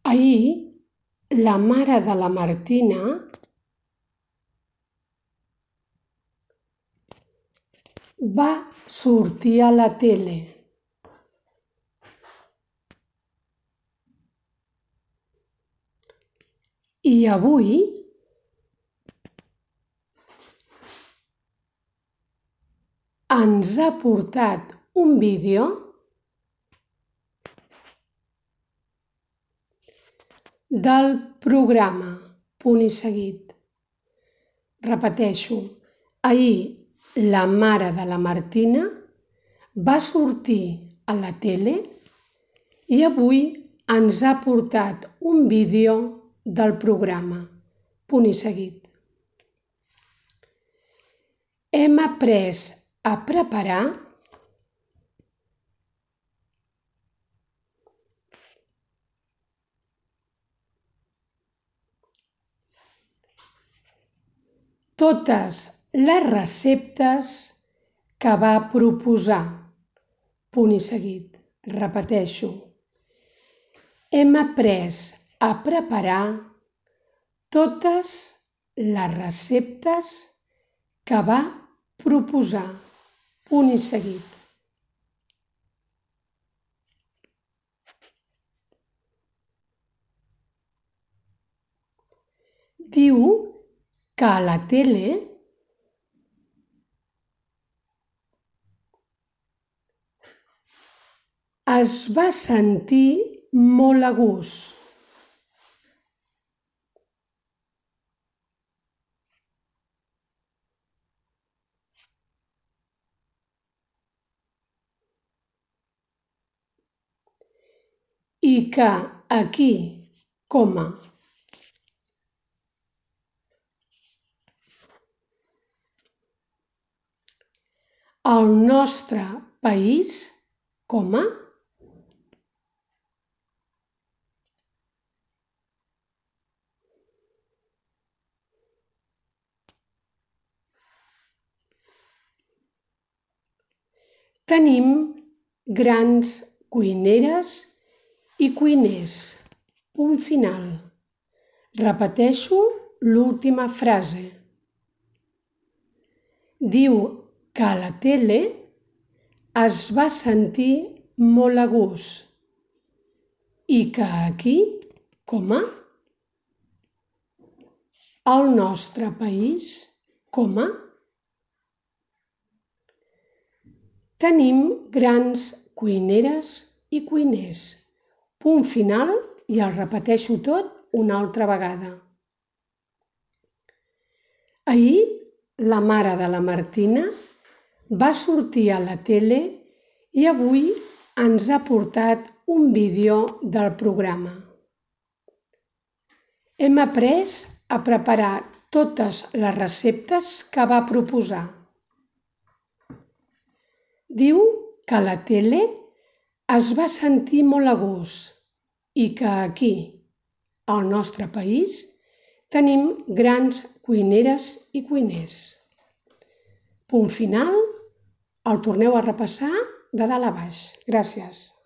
Ahir la mare de la Martina va sortir a la tele. I avui ens ha portat un vídeo del programa Punt i Seguit. Repeteixo, ahir la mare de la Martina va sortir a la tele i avui ens ha portat un vídeo del programa Punt i Seguit. Hem après a preparar totes les receptes que va proposar. Punt i seguit. Repeteixo. Hem après a preparar totes les receptes que va proposar. Punt i seguit. Diu que a la tele es va sentir molt a gust. I que aquí, al nostre país, tenim grans cuineres i cuiners. Punt final. Repeteixo l'última frase. Diu que a la tele es va sentir molt a gust i que aquí, al nostre país, tenim grans cuineres i cuiners. Punt final i el repeteixo tot una altra vegada. Ahir la mare de la Martina va sortir a la tele i avui ens ha portat un vídeo del programa. Hem après a preparar totes les receptes que va proposar. Diu que a la tele es va sentir molt a gust i que aquí, al nostre país, tenim grans cuineres i cuiners. Punt final, el torneu a repassar de dalt a baix. Gràcies.